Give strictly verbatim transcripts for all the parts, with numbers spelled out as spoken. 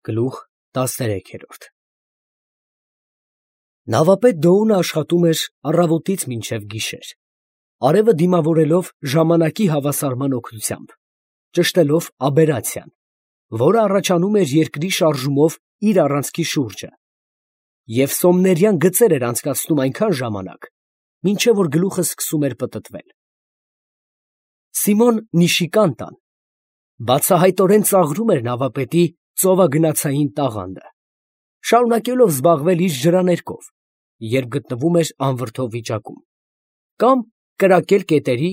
Գլուխ տասներեքերորդ Նավապետ Դոունը աշխատում էր առավոտից մինչև գիշեր, արևը դիմավորելով ժամանակի հավասարման օգնությամբ, ճշտելով աբերացիան, որը առաջանում էր երկրի շարժումով իր առանցքի շուրջը, և սոմներյան գծեր էր անցկացնում այնքան ժամանակ, մինչև որ գլուխը սկսում էր պտտվել։ Սիմոն Նիշիկանտան բացահայտորեն ծաղրում էր նավապետի ծովագնացային տաղանդը, շարունակելով զբաղվել իր ջրաներկով, երբ գտնվում էր անվրդով վիճակում, կամ կրակել կետերի,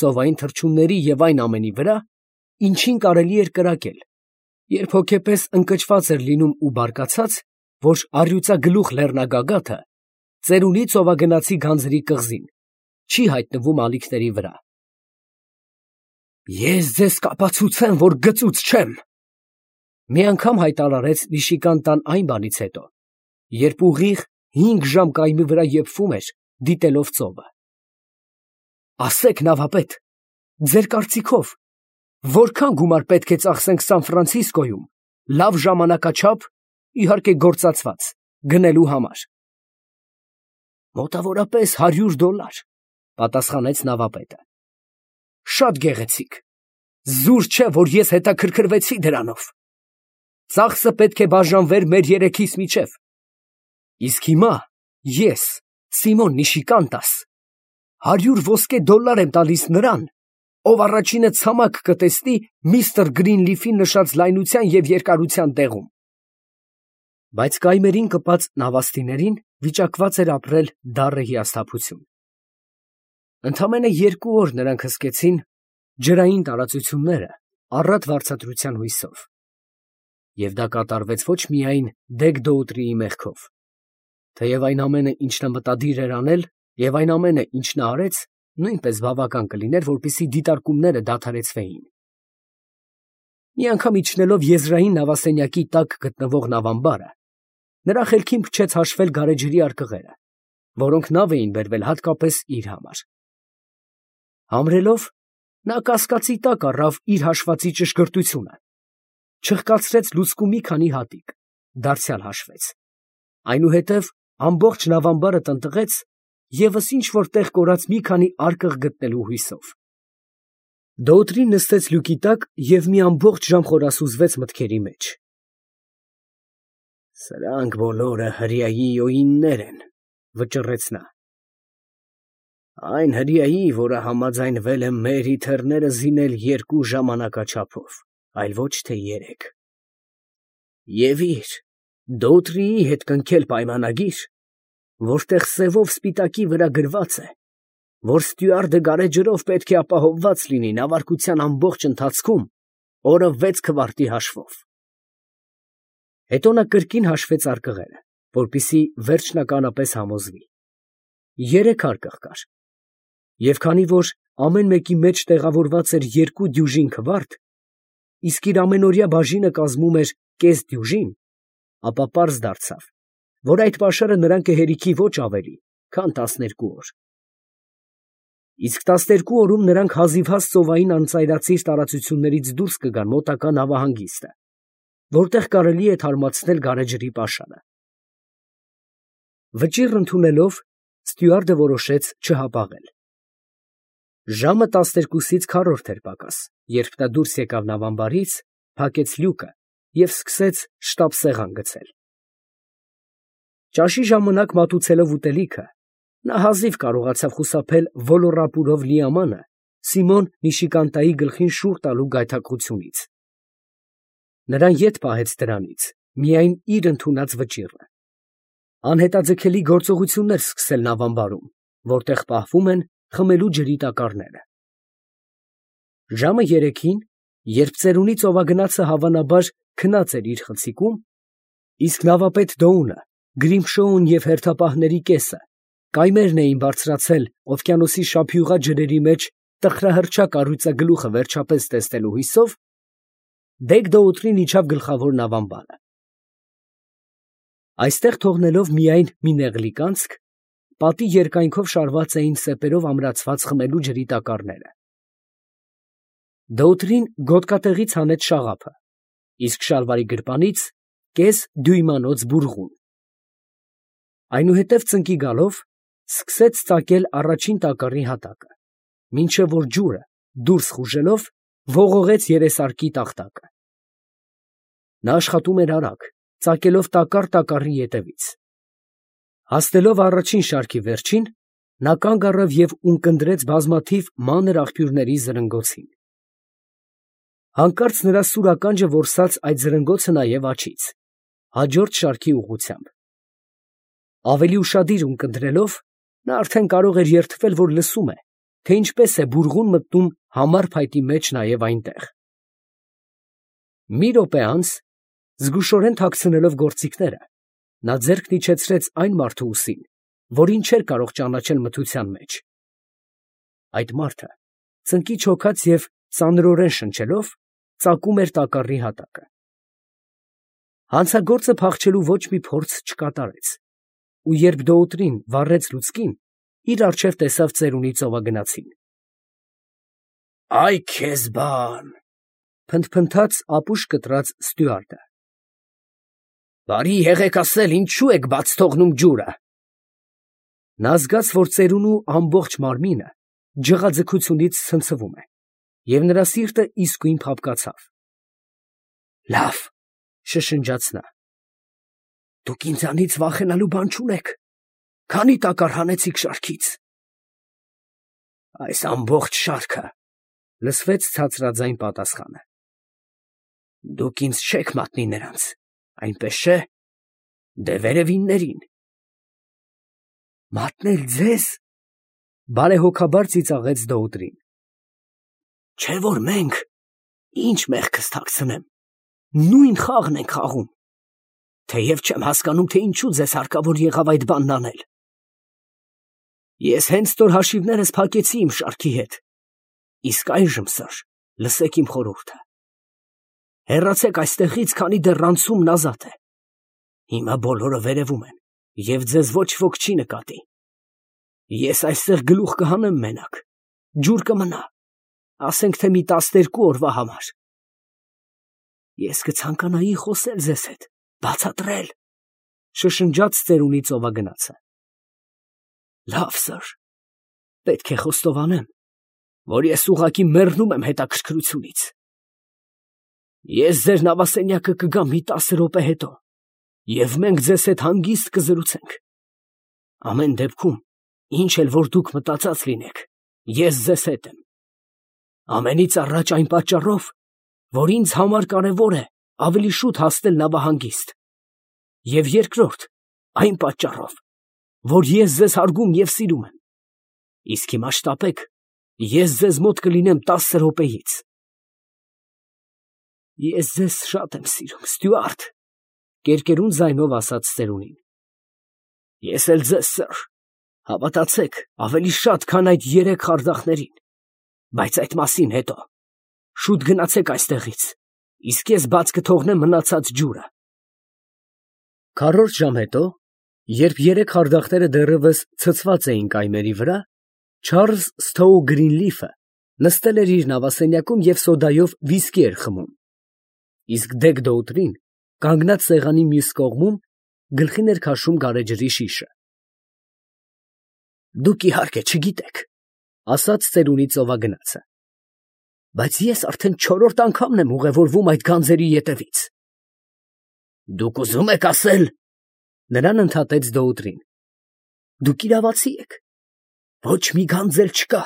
ծովային թռչունների և այն ամենի վրա, ինչին կարելի էր կրակել, երբ հոգեպես ընկճված էր լինում ու բարկացած, որ առյուծագլուխ լեռնագագաթը ծերունի ծովագնացի գանձերի կղզին չի հայտնվում ալիքների վրա։ «Ես ձեզ կապացուցեմ, որ գծուծ չեմ», մի անգամ հայտարարեց Նիշիկանտան այն բանից հետո, երբ ուղիղ հինգ ժամ կայմի վրա եփվում էր, դիտելով ծովը։ «Ասեք, նավապետ, ձեր կարծիքով, որքան գումար պետք է ծախսենք Սան Ֆրանցիսկոյում լավ ժամանակաչափ, իհարկե գործածված, գնելու համար»։ «Մոտավորապես հարյուր դոլար», պատասխանեց նավապետը։ «Շատ գեղեցիկ, զուր չէ, որ ես հետաքրքրվեցի դրանով։ Ծախսը պետք է բաժանվեր մեր երեքիս միջև։ Իսկ հիմա ես, Սիմոն Նիշիկանտաս, հարյուր ոսկե դոլար եմ տալիս նրան, ով առաջինը ցամաք կտեսնի միստր Գրինլիֆի նշած լայնության և երկարության տեղում»։ Բայց կայմերին կպած նավաստիներին վիճակված էր ապրել դառը հիասթափություն։ Ընդամենը երկու օր նրանք հսկեցին ջրային տարածությունները առատ վարձատրության հույսով, և դա կատարվեց ոչ միայն Դեգ֊Դոուտրիի մեղքով, թեև այն ամենը, ինչ նա մտադիր էր անել, և այն ամենը, ինչ նա արեց, նույնպես բավական կլիներ, որպեսզի դիտարկումները դադարեցվեին։ Մի անգամ իջնելով եզրային նավասենյակի տակ գտնվող նավամբարը, նրա խելքին փչեց հաշվել գարեջրի արկղերը, որոնք նավ էին բերվել հատկապես իր համար։ Համրելով, նա կասկածի տակ առավ իր հաշվածի ճշգրտությունը, չխկացրեց լուցկու մի քանի հատիկ, դարձյալ հաշվեց, այնուհետև ամբողջ նավամբարը տնտղեց ևս ինչ֊որ տեղ կորած մի քանի արկղ գտնելու հույսով։ Դոուտրին նստեց լյուկի տակ և մի ամբողջ ժամ խորասուզվեց մտքերի մեջ։ «Սրանք բոլորը հրեայի օիններ են», վճռեց նա։ «Այն հրեայի, որը համաձայնվել է մեր իթեռները զինել երկու ժամանակաչափով, այլ ոչ թե երեք։ Եվ իր՝ Դոուտրիի հետ կնքել պայմանագիր, որտեղ սևով սպիտակի վրա գրված է, որ ստյուարդը գարեջրով պետք է ապահովված լինի նավարկության ամբողջ ընթացքում օրը վեց քվարտի հաշվով»։ Հետո նա կրկին հաշվեց արկղերը, որպեսզի վերջնականապես համոզվի։ Երեք արկղ կար, և քանի որ ամեն մեկի մեջ տեղավորված էր երկու դյուժին քվարտ, իսկ իր ամենօրյա բաժինը կազմում էր կես դյուժին, ապա պարզ դարձավ, որ այդ պաշարը նրան կհերիքի ոչ ավելի, քան տասներկու օր։ Իսկ տասներկու օրում նրանք հազիվհազ ծովային անծայրածիր տարածություններից դուրս կգան մոտակա նավահանգիստը, որտեղ կարելի է թարմացնել գարեջրի պաշարը։ Վճիռ ընդունելով, ստյուարդը որոշեց չհապաղել։ Ժամը տասներկուսից քառորդ էր պակաս, երբ նա դուրս եկավ նավամբարից, փակեց լյուկը և սկսեց շտապ սեղան գցել։ Ճաշի ժամանակ մատուցելով ուտելիքը, նա հազիվ կարողացավ խուսափել ոլոռապուրով լի ամանը Սիմոն Նիշիկանտայի գլխին շուռ տալու գայթակղությունից։ Նրան ետ պահեց դրանից միայն իր ընդունած վճիռը։ Անհետաձգելի գործողություններ սկսել նավամբարում, որտեղ պահվում են խմելու ջրի տակառները։ Ժամը երեքին, երբ ծերունի ծովագնացը հավանաբար քնած էր իր խցիկում, իսկ նավապետ Դոունը, Գրիմշոուն և հերթապահների կեսը կայմերն էին բարձրացել օվկիանոսի շափյուղա ջրերի մեջ տխրահռչակ առյուծագլուխը վերջապես տեսնելու հույսով, Դեգ֊Դոուտրին իջավ գլխավոր նավամբարը։ Այստեղ թողնելով միայն մի նեղլիկ անցք, պատի երկայնքով շարված էին սեպերով ամրացված խմելու ջրի տակառները։ Դոուտրին գոտկատեղից հանեց շաղափը, իսկ շալվարի գրպանից կես դյույմանոց բուրղուն։ Այնուհետև ծնկի գալով սկսեց ծակել առաջին տակառի հատակը, մինչև որ ջուրը դուրս խուժելով ողողեց երեսարկի տախտակը։ Նա աշխատում էր արագ, ծակելով տակառ տակառի ետևից։ Հասնելով առաջին շարքի վերջին, նա կանգ առավ և ունկնդրեց բազմաթիվ մանր աղբյուրների զրնգոցին։ Հանկարծ նրա սուր ականջը որսաց այդ զրնգոցը նաև աջից, հաջորդ շարքի ուղղությամբ։ Ավելի ուշադիր ունկնդրելով, նա արդեն կարող էր երդվել, որ լսում է, թե ինչպես է բուրղուն մտնում համար փայտի մեջ նաև այնտեղ։ Մի րոպե անց, զգուշորեն թաքցնելով գործիքները, նա ձեռքն իջեցրեց այն մարդու ուսին, որին չէր կարող ճանաչել մթության մեջ։ Այդ մարդը, ծնկիչ հոգած և ծանրորեն շնչելով, ծակում էր տակառի հատակը։ Հանցագործը փախչելու ոչ մի փորձ չկատարեց, ու երբ դոուտրին վառեց լուցկին, իր առջև տեսավ ծերունի ծովագնացին։ «Այ քեզ բան», փնթփնթաց ապուշ կտրած ստյուարդը։ «Բարի եղեք ասել, ինչո՞ւ եք բաց թողնում ջուրը»։ Նա զգաց, որ ծերունու ամբողջ մարմինը ջղաձգությունից ցնցվում է, և նրա սիրտը իսկույն փափկացավ։ «Լավ», շշնջաց նա, «դուք ինձանից վախենալու բան չունեք, քանի՞ տակառ հանեցիք շարքից»։ «Այս ամբողջ շարքը», լսվեց ցածրաձայն պատասխանը։ «Դուք ինձ չեք մատնի նրանց, այնպես չէ՞։ Դե վերևիններին»։ «Մատնել ձեզ», բարեհոգաբար ծիծաղեց դոուտրին։ «Չէ՞ որ մենք, ինչ մեղքս թաքցնեմ, նույն խաղն ենք խաղում, թեև չեմ հասկանում, թե ինչու ձեզ հարկավոր եղավ այդ բանն անել։ Ես հենց ստոր հաշիվներս փակեցի իմ շարքի հետ, իսկ այժմ, սըր, լսեք իմ խորհուրդը. հեռացեք այստեղից, քանի դեռ անցումն ազատ է։ Հիմա բոլորը վերևում են, և ձեզ ոչ ոք չի նկատի։ Ես այստեղ գլուխ կհանեմ մենակ, ջուր կմնա, ասենք թե մի տասներկու օրվա համար։ Ես կցանկանայի խոսել ձեզ հետ, բացատրել, շշնջաց ծերունի ծովագնացը։ Լավ, սըր, պետք է խոստովանեմ, որ ես ուղղակի մեռնում եմ հետաքրքրությունից։ Ես ձեր նավասենյակը կգամ մի տասը րոպե հետո, և մենք ձեզ հետ հանգիստ կզրուցենք։ Ամեն դեպքում, ինչ էլ որ դուք մտածած լինեք, ես ձեզ հետ եմ։ Ամենից առաջ այն պատճառով, որ ինձ համար կարևոր է ավելի շուտ հասնել նավահանգիստ, և երկրորդ, այն պատճառով, որ ես ձեզ հարգում և սիրում եմ։ Իսկ հիմա շտապեք, ես ձեզ մոտ կլինեմ տասը րոպեից։ Ես ձեզ շատ եմ սիրում, ստյուարդ, կերկերուն ձայնով ասաց ծերունին։ Ես էլ ձեզ, սըր, հավատացեք, ավելի շատ, քան այդ երեք խարդախներին, բայց այդ մասին հետո։ Շուտ գնացեք այստեղից, իսկ ես բաց կթողնեմ մնացած ջուրը։ Քառորդ ժամ հետո, երբ երեք խարդախները դեռևս ցցված էին կայմերի վրա, Չարլզ Սթոու Գրինլիֆը նստել էր իր նավասենյակում և սոդայով վիսկի էր խմում, իսկ Դեգ Դոուտրին, կանգնած սեղանի մյուս կողմում, գլխին էր քաշում գարեջրի շիշը։ Դուք իհարկե չգիտեք, ասաց ծերունի ծովագնացը, բայց ես արդեն չորրորդ անգամն եմ ուղևորվում այդ գանձերի ետևից։ Դուք ուզում եք ասել, նրան ընդհատեց Դոուտրին, դուք իրավացի եք, ոչ մի գանձ էլ չկա,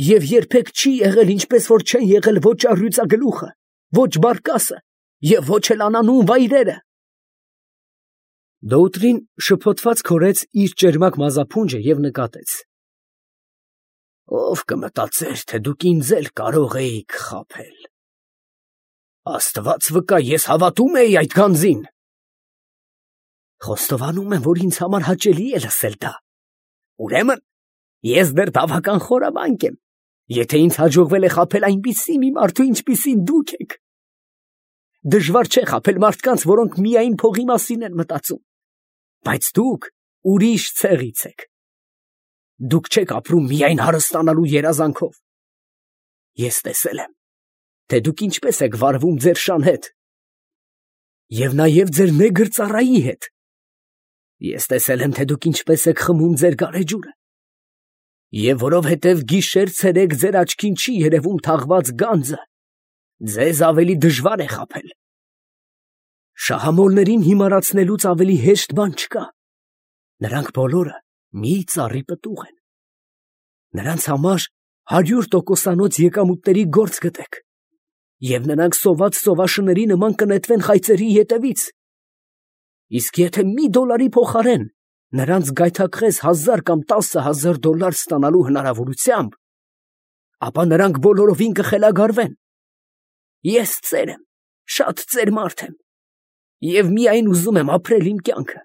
և երբեք չի եղել, ինչպես որ չեն եղել ոչ առյուծագլուխը, ոչ բարկասը և ոչ էլ անանուն վայրերը։ Դոուտրին շփոթված քորեց իր ճերմակ մազափունջը և նկատեց. Ով կմտածեր, թե դուք ինձ էլ կարող էիք խաբել։ Աստված վկա, ես հավատում էի այդ գանձին։ Խոստովանում եմ, որ ինձ համար հաճելի է լսել դա։ Ուրեմն, ես դեռ բավական խորամանկ եմ, եթե ինձ հաջողվել է խաբել այնպիսի մի մարդու, ինչպիսին դուք եք։ Դժվար չէ խաբել մարդկանց, որոնք միայն փողի մասին են մտածում, բայց դուք ուրիշ ցեղից եք։ Դուք չեք ապրում միայն հարստանալու երազանքով։ Ես տեսել եմ, թե դուք ինչպես եք վարվում ձեր շան հետ։ Եվ նաև ձեր նեգր ծառայի հետ։ Ես տեսել եմ, թե դուք ինչպես եք խմում ձեր գարեջուրը։ Եվ որովհետև գիշեր֊ցերեկ ձեր աչքին չի երևում թաղված գանձը, ձեզ ավելի դժվար է խաբել։ Շահամոլներին հիմարացնելուց ավելի հեշտ բան չկա։ Նրանք բոլորը մի ծառի պտուղ են։ Նրանց համար հարյուր տոկոսանոց եկամուտների գործ գտեք, և նրանք սոված սովաշների նման կնետվեն խայծերի ետևից։ Իսկ եթե մի դոլարի փոխարեն նրանց գայթակղես հազար կամ տասը հազար դոլար ստանալու հնարավորությամբ, ապա նրանք բոլորովին կխելագարվեն։ Ես ծեր եմ, շատ ծեր մարդ եմ, և միայն ուզում եմ ապրել իմ կյանքը,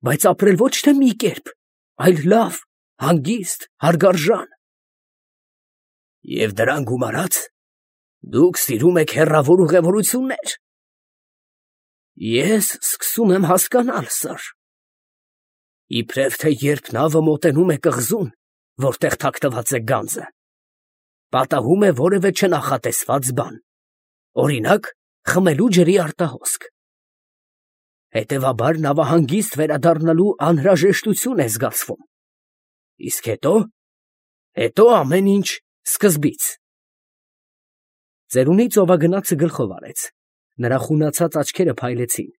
բայց ապրել ոչ թե մի կերպ, այլ լավ, հանգիստ, հարգարժան։ Եվ դրան գումարած, դուք սիրում եք հեռավոր ուղևորություններ։ Ես սկսում եմ հասկանալ, սըր։ Իբրև թե երբ նավը մոտենում է կղզուն, որտեղ թաքնված է գանձը, պատահում է որևէ չնախատեսված բան, օրինակ, խմելու ջրի արտահոսք։ Հետևաբար նավահանգիստ վերադառնալու անհրաժեշտություն է զգացվում։ Իսկ հետո, հետո ամեն ինչ սկզբից։ Ծերունի ծովագնացը գլխով արեց, նրա խունացած աչքերը փայլեցին։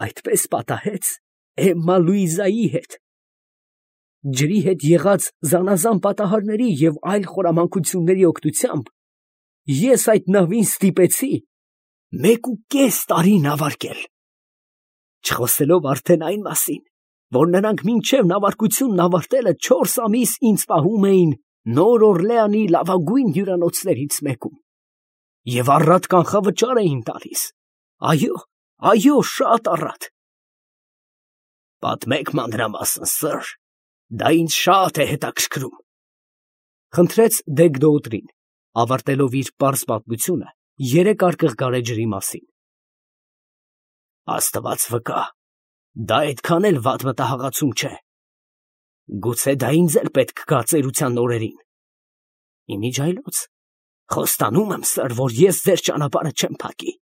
Այդպես պատահեց Էմմա Լուիզայի հետ։ Ջրի հետ եղած զանազան պատահարների և այլ խորամանկությունների օգնությամբ ես այդ նավին ստիպեցի մեկ ու կես տարի նավարկել, չխոսելով արդեն այն մասին, որ նրանք մինչև նավարկությունն ավարտելը չորս ամիս ինձ պահում էին Նոր Օրլեանի լավագույն հյուրանոցներից մեկում և առատ կանխավճար էին տալիս, այո, այո, շատ առատ։ Պատմեք մանրամասն, սըր, դա ինձ շատ է հետաքրքրում, խնդրեց Դեգ֊Դոուտրին, ավարտելով իր պարզ պատմությունը երեք արկղ գարեջրի մասին։ Աստված վկա, դա այդքան էլ վատ մտահաղացում չէ։ Գուցե դա ինձ էլ պետք գա ծերության օրերին։ Իմիջ այլոց, խոստանում եմ, սըր, որ ես ձեր ճանապարհը չեմ փակի։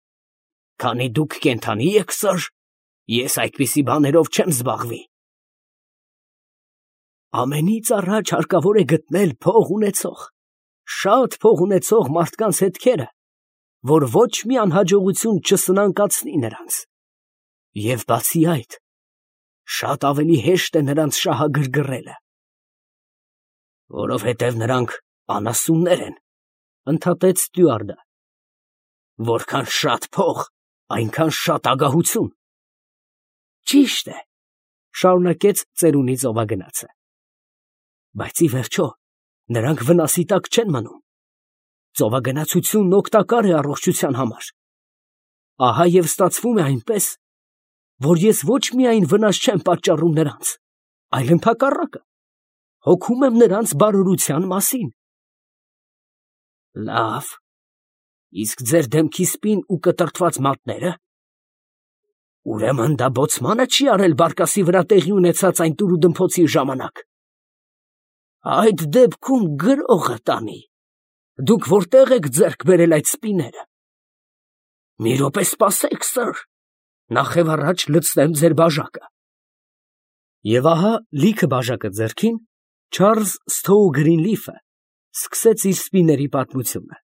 Քանի դուք կենդանի եք, սըր, ես այդպիսի բաներով չեմ զբաղվի։ Ամենից առաջ հարկավոր է գտնել փող ունեցող, շատ փող ունեցող մարդկանց հետքերը, որ ոչ մի անհաջողություն չսնանկացնի նրանց։ Եվ բացի այդ, շատ ավելի հեշտ է նրանց շահագրգռելը։ Որովհետև նրանք անասուններ են, ընդհատեց ստյուարդը։ Որքան շատ փող, այնքան շատ ագահություն։ Ճիշտ է, շարունակեց ծերունի ծովագնացը։ Բայց ի վերջո, նրանք վնասի տակ չեն մնում։ Ծովագնացությունն օգտակար է առողջության համար։ Ահա և ստացվում է այնպես, որ ես ոչ միայն վնաս չեմ պատճառում նրանց, այլ ընդհակառակը, հոգում եմ նրանց բարօրության մասին։ Լավ, իսկ ձեր դեմքի սպին ու կտրտված մատները։ Ուրեմն դա բոցմանը չի արել բարկասի վրա տեղի ունեցած այն տուրուդմփոցի ժամանակ։ Այդ դեպքում գրողը տանի։ Դուք որտեղ եք ձեռք բերել այդ սպիները։ Մի րոպե սպասեք, սըր, նախ և առաջ լցնեմ ձեր բաժակը։ Եվ ահա լիքը բաժակը ձեռքին, Չարլզ Սթոու Գրինլիֆը սկսեց իր սպիների պատմությունը։